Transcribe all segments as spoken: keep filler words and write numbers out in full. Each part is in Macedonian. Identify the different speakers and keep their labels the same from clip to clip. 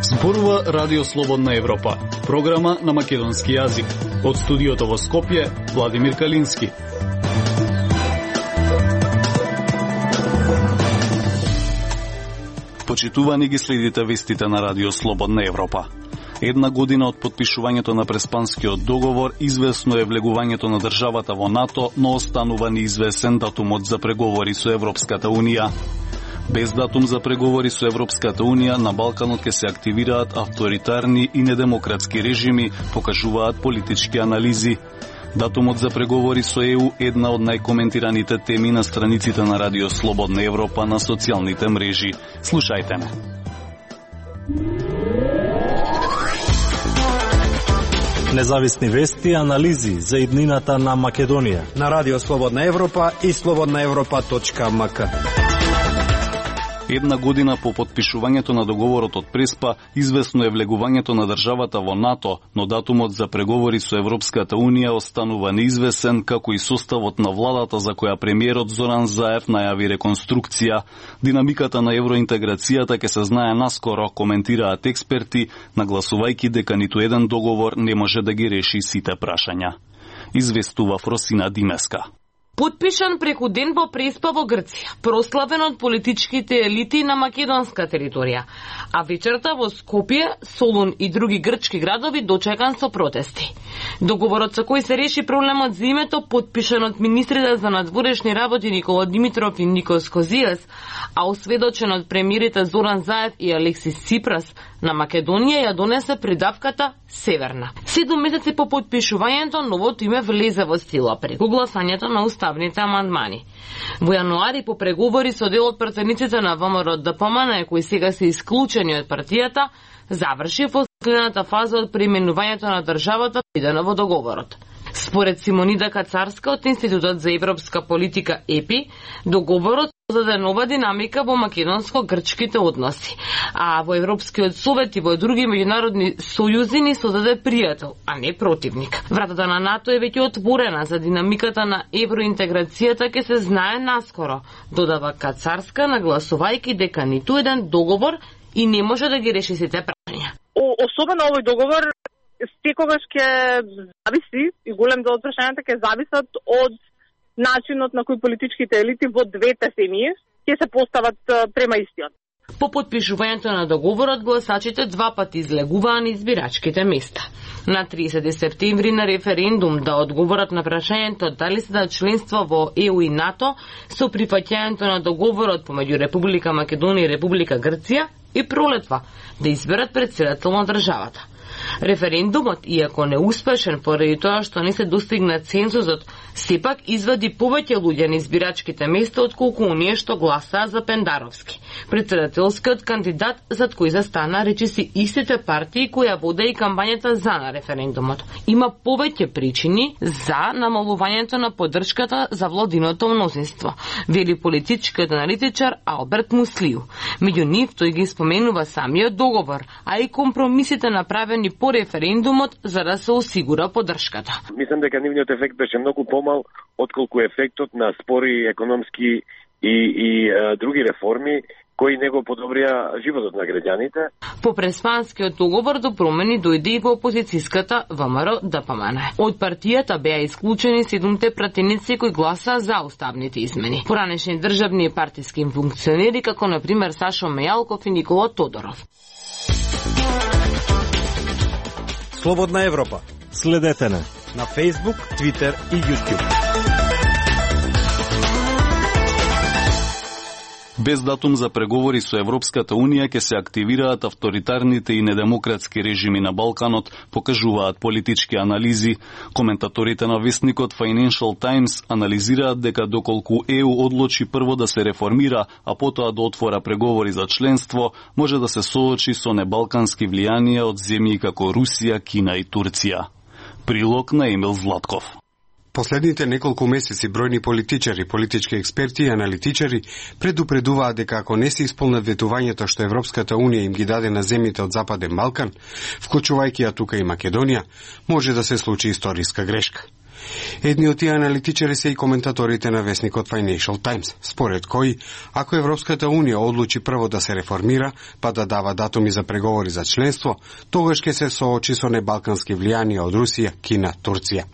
Speaker 1: Зборува Радио Слободна Европа, програма на македонски јазик. Од студиото во Скопје, Владимир Калински. Почитувани ги следите вестите на Радио Слободна Европа. Една година од подпишувањето на Преспанскиот договор, известно е влегувањето на државата во НАТО, но останува неизвесен датумот за преговори со Европската Унија. Без датум за преговори со Европската Унија, на Балканот ќе се активираат авторитарни и недемократски режими, покажуваат политички анализи. Датумот за преговори со ЕУ е една од најкоментираните теми на страниците на Радио Слободна Европа на социјалните мрежи. Слушајте ме.
Speaker 2: Независни вести и анализи за иднината на Македонија
Speaker 3: на Радио Слободна Европа и слободна европа точка ем ка.
Speaker 1: Една година по подпишувањето на договорот од Преспа, известно е влегувањето на државата во НАТО, но датумот за преговори со Европската Унија останува неизвесен, како и составот на владата за која премиерот Зоран Заев најави реконструкција. Динамиката на евроинтеграцијата ќе се знае наскоро, коментираат експерти, нагласувајќи дека ниту еден договор не може да ги реши сите прашања. Известува Фросина Димеска.
Speaker 4: Подпишан преку ден во Преспа во Грција, прославен од политичките елити на македонска територија, а вечерта во Скопје, Солун и други грчки градови дочекан со протести. Договорот со кој се реши проблемот за името, подпишан од министрите за надворешни работи Никола Димитров и Никос Козијас, а осведочен од премиерите Зоран Заев и Алексис Ципрас, на Македонија ја донесе придавката Северна. Седум месеци по подпишувањето, новото име влезе во сила преку гласањето на уставните амандмани. Во јануари по преговори со дел од пратениците на ВМРО ДПМН, кои сега се исклучени од партијата, заврши во следната фаза од преименувањето на државата предвидено во договорот. Според Симонида Кацарска од Институтот за европска политика ЕПИ, договорот создаде нова динамика во македонско-грчките односи, а во Европскиот совет и во други меѓународни сојузи ни создаде пријател, а не противник. Вратата на НАТО е веќе отворена за динамиката на евроинтеграцијата ќе се знае наскоро, додава Кацарска, нагласувајќи дека ниту еден договор и не може да ги реши сите прашања.
Speaker 5: Особено овој договор секогаш ќе зависи и голем дел од прашањата ќе зависат од начинот на кој политичките елити во двете семји ќе се постават према истиот.
Speaker 4: По подпишувањето на договорот, гласачите два пати излегуваа на избирачките места. На триесети септември на референдум да одговорат на прашањето дали се да членство во ЕУ и НАТО со прифаќањето на договорот помеѓу Република Македонија и Република Грција и пролетва да изберат претседател на државата. Референдумот, иако неуспешен поради тоа што не се достигна цензусот, сепак извади повеќе луѓе на избирачките места отколку оние што гласаа за Пендаровски, претседателскиот кандидат зад кој застана речиси истите партии кои ја воде и кампањата за на референдумот. Има повеќе причини за намалувањето на поддршката за владиното мнозинство, вели политичкиот аналитичар Алберт Муслију. Меѓу нив тој ги споменува самиот договор, а и компромисите направени по референдумот за да се осигура поддршката.
Speaker 6: Мислам дека нивниот ефект беше многу помал отколку ефектот на спори економски и, и а, други реформи кои него подобрија животот на граѓаните.
Speaker 4: По Преспанскиот договор до промени дојде и во опозицијската ВМРО ДПМН. Од партијата беа исклучени седумте пратеници кои гласаа за уставните измени. Поранешни државни и партиски функционери како на пример Сашо Мејалков и Никола Тодоров.
Speaker 3: Слободна Европа.
Speaker 2: Следете на
Speaker 3: на Facebook, Twitter и YouTube.
Speaker 1: Без датум за преговори со Европската Унија ќе се активираат авторитарните и недемократски режими на Балканот, покажуваат политички анализи. Коментаторите на вестникот Financial Times анализираат дека доколку ЕУ одлучи прво да се реформира, а потоа да отвора преговори за членство, може да се соочи со небалкански влијанија од земји како Русија, Кина и Турција. Прилог на Емил Златков.
Speaker 3: Последните неколку месеци бројни политичари, политички експерти и аналитичари предупредуваат дека ако не се исполнат ветувањето што Европската Унија им ги даде на земјите од Западен Балкан, вклучувајќи ја тука и Македонија, може да се случи историска грешка. Едни од тие аналитичари се и коментаторите на весникот Financial Times, според кои, ако Европската Унија одлучи прво да се реформира, па да дава датуми за преговори за членство, тогаш ќе се соочи со небалкански влијанија од Русија, Кина, Турција.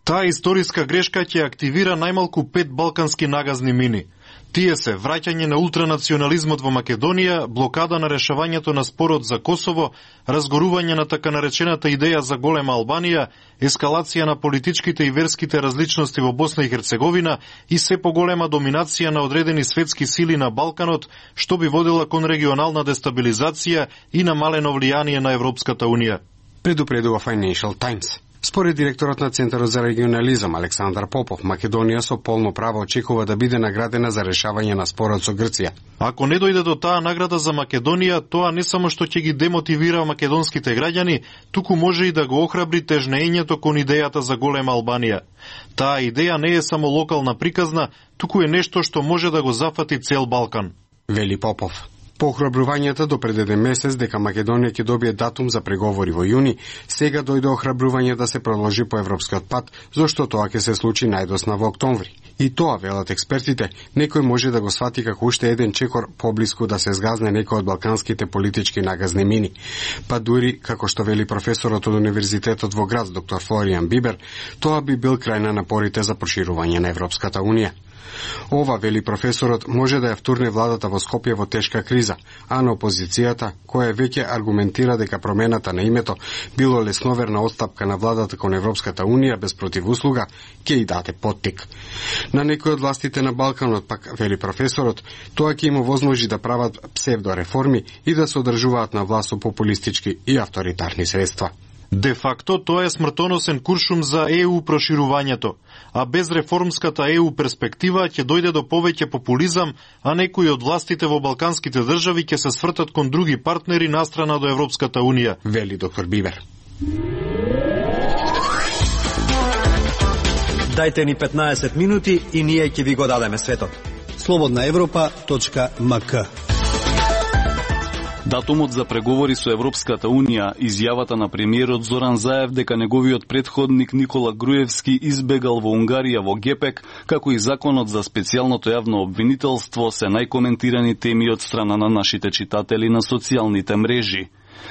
Speaker 7: Таа историска грешка ќе активира најмалку пет балкански нагазни мини. Тие се враќање на ултранационализмот во Македонија, блокада на решавањето на спорот за Косово, разгорување на така наречената идеја за голема Албанија, ескалација на политичките и верските различности во Босна и Херцеговина и се поголема доминација на одредени светски сили на Балканот, што би водела кон регионална дестабилизација и намалено влијание на Европската Унија.
Speaker 3: Предупредува Financial Times. Според директорот на Центарот за регионализам Александар Попов, Македонија со полно право очекува да биде наградена за решавање на спорот со Грција.
Speaker 7: Ако не дојде до таа награда за Македонија, тоа не само што ќе ги демотивира македонските граѓани, туку може и да го охрабри тежнењето кон идејата за голема Албанија. Таа идеја не е само локална приказна, туку е нешто што може да го зафати цел Балкан.
Speaker 3: Вели Попов. По охрабрувањата до пред еден месец дека Македонија ќе добие датум за преговори во јуни, сега дојде охрабрување да се продолжи по европскиот пат, зашто тоа ќе се случи најдосна во октомври. И тоа, велат експертите, некој може да го свати како уште еден чекор поблиску да се згазне некој од балканските политички нагазни мини. Па дури, како што вели професорот од Универзитетот во Грац, доктор Флориан Бибер, тоа би бил крај на напорите за проширување на Европската Унија. Ова, вели професорот, може да ја втурне владата во Скопје во тешка криза, а на опозицијата, која веќе аргументира дека промената на името било лесноверна отстапка на владата кон Европската Унија без противуслуга, ќе и даде поттик. На некои од властите на Балканот, пак, вели професорот, тоа ќе им овозможи да прават псевдореформи и да се одржуваат на власт со популистички и авторитарни средства.
Speaker 7: Де факто, тоа е смртоносен куршум за Е У проширувањето, а без реформската Е У перспектива ќе дојде до повеќе популизам, а некои од властите во балканските држави ќе се свртат кон други партнери настрана до Европската Унија,
Speaker 3: вели доктор Бибер. Дајте ни петнаесет минути и ние ќе ви го дадеме светот. слободна европа точка ем ка.
Speaker 1: Датумот за преговори со Европската Унија, изјавата на премиерот Зоран Заев дека неговиот претходник Никола Груевски избегал во Унгарија во Гепек, како и законот за специјалното јавно обвинителство се најкоментирани теми од страна на нашите читатели на социјалните мрежи.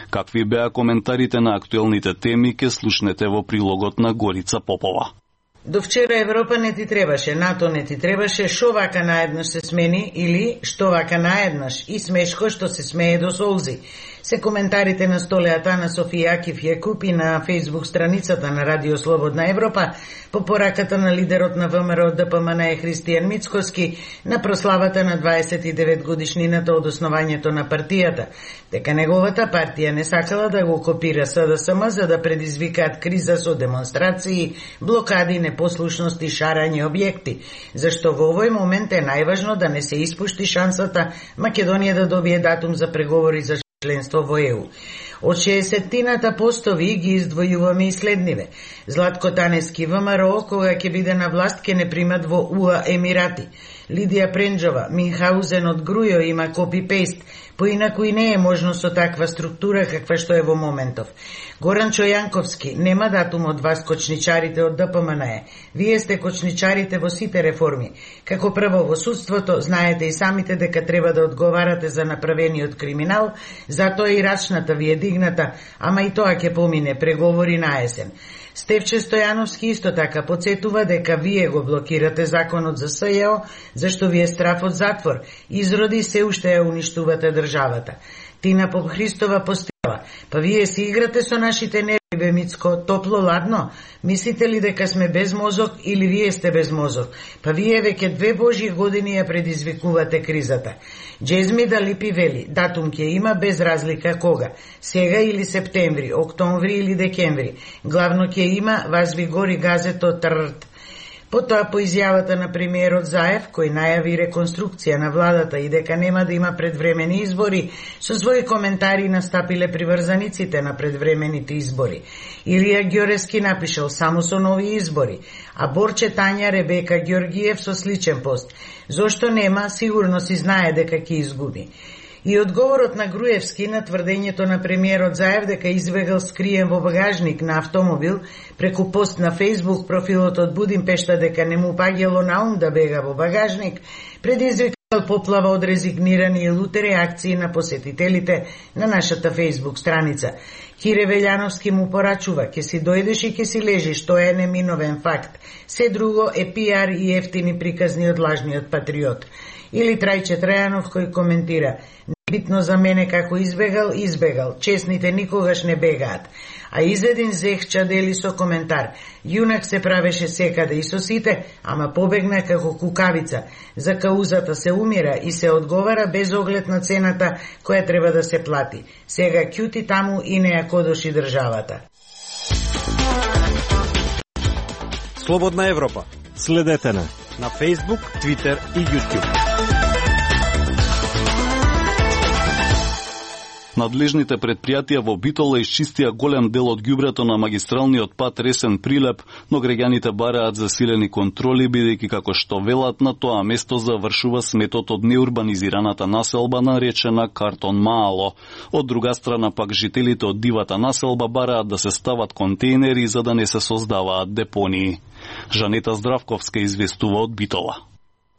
Speaker 1: Какви беа коментарите на актуелните теми, ке слушнете во прилогот на Горица Попова.
Speaker 8: До вчера Европа не ти требаше, НАТО не ти требаше, шо вака наеднаш се смени или што вака наеднаш и смешко што се смее до солзи. Се коментарите на столеата на Софија Акиф Јакуп и на фејсбук страницата на Радио Слободна Европа по пораката на лидерот на ВМРО Д П М Н Христијан Мицкоски на прославата на дваесет и девет годишнината од основањето на партијата, дека неговата партија не сакала да го копира С Д С М за да предизвикаат криза со демонстрации, блокади, непослушност и шарање објекти, зашто во овој момент е најважно да не се испушти шансата Македонија да добие датум за преговори за членство во Е У. Од шеесеттината постови ги издвојуваме и следниве. Златко Танески ВМРО, кога ќе биде на власт, ќе не примат во У А Емирати. Лидија Пренџова, Минхаузен од Грујо има копи-пейст, поинаку и не е можно со таква структура каква што е во моментов. Горан Чојанковски, нема датум од вас кочничарите од Д П М Н Е. Вие сте кочничарите во сите реформи. Како прво во судството, знаете и самите дека треба да одговарате за направениот криминал, затоа и рачната ви е дигната, ама и тоа ќе помине, преговори на есен. Стефче Стојановски исто така подсетува дека вие го блокирате законот за С Ј О, зашто ви е страф од затвор, изроди се уште ја уништувате државата. Тина Попхристова постава, па вие си играте со нашите нерви, бе Мицко, топло-ладно? Мислите ли дека сме без мозок или вие сте без мозок? Па вие веќе две божи години ја предизвикувате кризата. Джезми Далипи вели, датум ќе има без разлика кога, сега или септември, октомври или декември. Главно ќе има, вас ви гори газето тррт. Потоа по изјавата на премиерот Заев, кој најави реконструкција на владата и дека нема да има предвремени избори, со своји коментари настапиле приврзаниците на предвремените избори. Илија Ѓорески напишал само со нови избори, а Борче Тања Ребека Ѓоргиев со сличен пост. Зошто нема, сигурно си знае дека ќе изгуби. И одговорот на Груевски на тврдењето на премиерот Заев дека избегал скриен во багажник на автомобил преку пост на Facebook профилот од Будимпешта дека не му паѓало на ум да бега во багажник, предизвикал поплава од резигнирани и луте реакции на посетителите на нашата Facebook страница. Кире Велјановски му порачува: ќе си дојдеш и ќе си лежиш, тоа е неминовен факт. Се друго е пиар и ефтини приказни од лажниот патриот. Или Трајче Трајанов кој коментира: битно за мене како избегал, избегал, честните никогаш не бегаат. А Изедин Зехча дели со коментар: јунак се правеше секаде и со сите, ама побегна како кукавица. За каузата се умира и се одговара без оглед на цената која треба да се плати. Сега ќути таму и не ја кодоши државата.
Speaker 2: Слободна Европа. Следете на на Facebook, Twitter и YouTube.
Speaker 1: Надлежните предпријатија во Битола исчистија голем дел од ѓубрето на магистралниот пат Ресен Прилеп, но граѓаните бараат засилени контроли, бидејќи како што велат на тоа место завршува сметот од неурбанизираната населба наречена Картон Маало. Од друга страна пак жителите од дивата населба бараат да се стават контейнери за да не се создаваат депонии. Жанета Здравковска известува од Битола.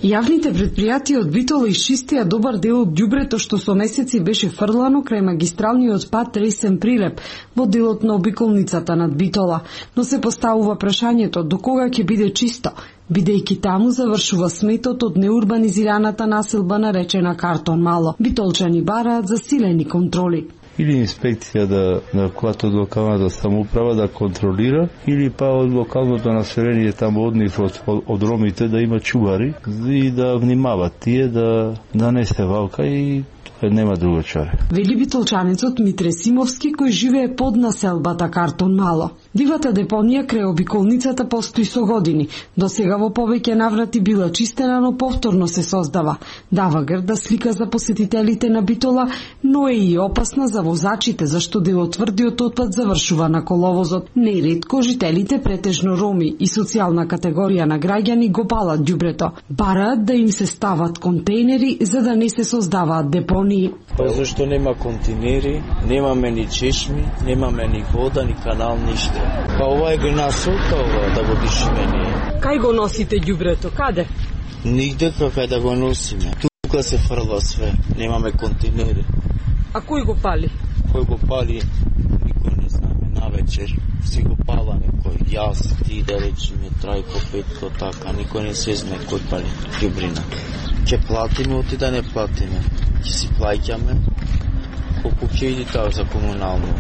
Speaker 9: Јавните предпријатија од Битола исчистија добар дел од ѓубрето што со месеци беше фрлано крај магистралниот пат Ресен Прилеп во делот на обиколницата над Битола, но се поставува прашањето до кога ќе биде чисто, бидејќи таму завршува сметот од неурбанизираната населба наречена Картон Мало. Битолчани бараат засилени контроли.
Speaker 10: Или инспекција да, на којато од локалната самоуправа да контролира, или па од локалното население таму од нив од, од ромите да има чувари и да внимават тие да, да не се валка и нема друго чаре.
Speaker 9: Вели битолчанецот Митре Симовски кој живее под населбата Картон Мало. Дивата депонија крај обиколницата постои со години. До сега во повеќе наврати била чистена, но повторно се создава. Дава грда слика за посетителите на Битола, но е и опасна за возачите, зашто дел од тврдиот отпад завршува на коловозот. Неретко жителите, претежно роми и социјална категорија на граѓани, го палат ѓубрето. Бараат да им се стават контейнери за да не се создаваат депонии.
Speaker 11: Па зашто нема контейнери, немаме ни чешми, немаме ни вода, ни канал, ништо. Па ова е грнасолка, ова, да го дишиме ние.
Speaker 9: Кај го носите ѓубрето? Каде?
Speaker 11: Нигде кај да го носиме. Тука се фрла све, немаме контейнери.
Speaker 9: А кој го пали?
Speaker 11: Кој го пали, никој не знаме. Навечер си го пала некој, јас, ти да речеме, Трајко, Петко, така, никој не се знае кој пали ѓубрина. Ќе платиме, оти да не платиме. Ќе си плаќаме, колку ќе иди тоа за комунално.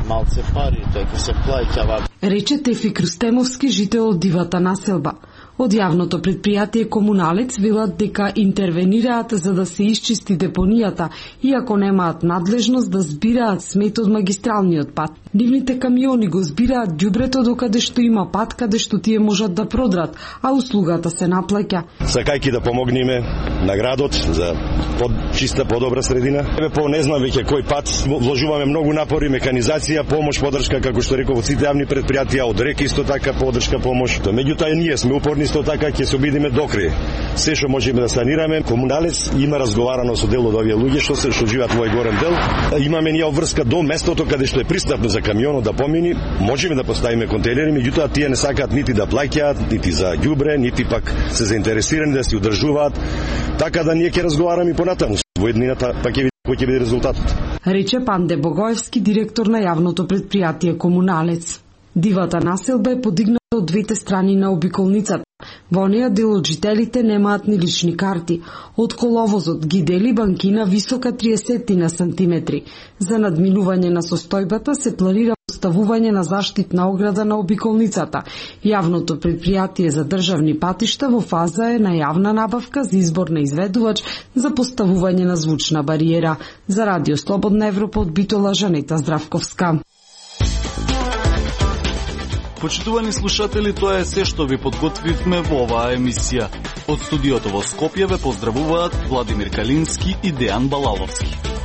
Speaker 11: Малце пари, тој ќе се плаќава.
Speaker 9: Рече Тефик Рустемовски, жител од дивата населба. Од јавното предпријатие Комуналец велат дека интервенираат за да се исчисти депонијата, иако немаат надлежност да збираат смет од магистралниот пат. Нивните камиони го збираат ѓубрето докаде што има пат каде што тие можат да продрат, а услугата се наплаќа.
Speaker 12: Сакајќи да помогнеме на градот за подчиста, подобра средина. Еве по не знам веќе кој пат вложуваме многу напори, механизација, помош, подршка, како што реков, од сите јавни предпријатија, од РЕК исто така подршка, помош. Меѓутоа ние сме упорни исто така, ќе се обидиме докрај. Се што можеме да санираме. Комуналец има разговарано со дел од овие луѓе што се што живеат во овој горен дел. Имаме ние обврска до местото каде што е пристапно за камионот да помини, можеме да поставиме контейнери, меѓутоа тие не сакаат нити да плаќаат, нити за ѓубре, нити пак се заинтересирани да се одржуваат. Така да ние ќе разговараме и понатаму. Во еднината пак ќе видиме кој ќе биде резултатот.
Speaker 9: Рече Панде Богоевски, директор на јавното предпријатие Комуналец. Дивата населба е подигната од двете страни на обиколницата. Во неја дел од жителите немаат ни лични карти. Од коловозот ги дели банкина висока триесет на сантиметри. За надминување на состојбата се планира поставување на заштитна ограда на обиколницата. Јавното предпријатие за државни патишта во фаза е на јавна набавка за избор на изведувач за поставување на звучна бариера. За Радио Слободна Европа од Битола, Жанета Здравковска.
Speaker 1: Почитувани слушатели, тоа е се што ви подготвивме во оваа емисија. Од студиото во Скопје ве поздравуваат Владимир Калински и Дејан Балаловски.